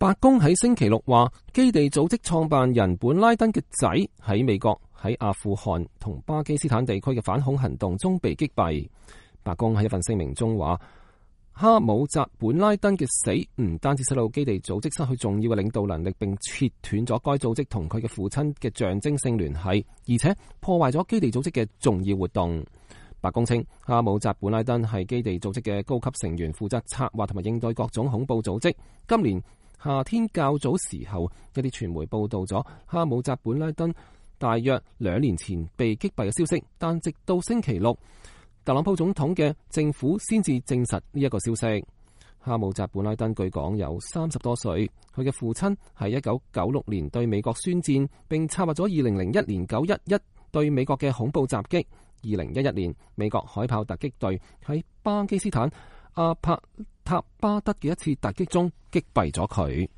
白宮喺星期六話，基地組織創辦人本拉登嘅仔喺美國喺阿富汗同巴基斯坦地區嘅反恐行動中被擊斃。白宮喺一份聲明中話，哈姆扎本拉登嘅死唔單止使到基地組織失去重要嘅領導能力，並切斷咗該組織同佢嘅父親嘅象徵性聯繫，而且破壞咗基地組織嘅重要活動。白宮稱，哈姆扎本拉登係基地組織嘅高級成員，負責策劃同埋應對各種恐怖組織。今年夏天較早時候，一啲傳媒報道咗哈姆扎本拉登大約2年前被擊斃嘅消息，但直到星期六，特朗普總統嘅政府先至證實呢一個消息。哈姆扎本拉登據講有30多歲，佢嘅父親係1996年對美國宣戰，並策劃咗2001年911對美國嘅恐怖襲擊。2011年，美國海豹突擊隊喺巴基斯坦阿帕塔巴德嘅一次突擊中擊斃咗佢。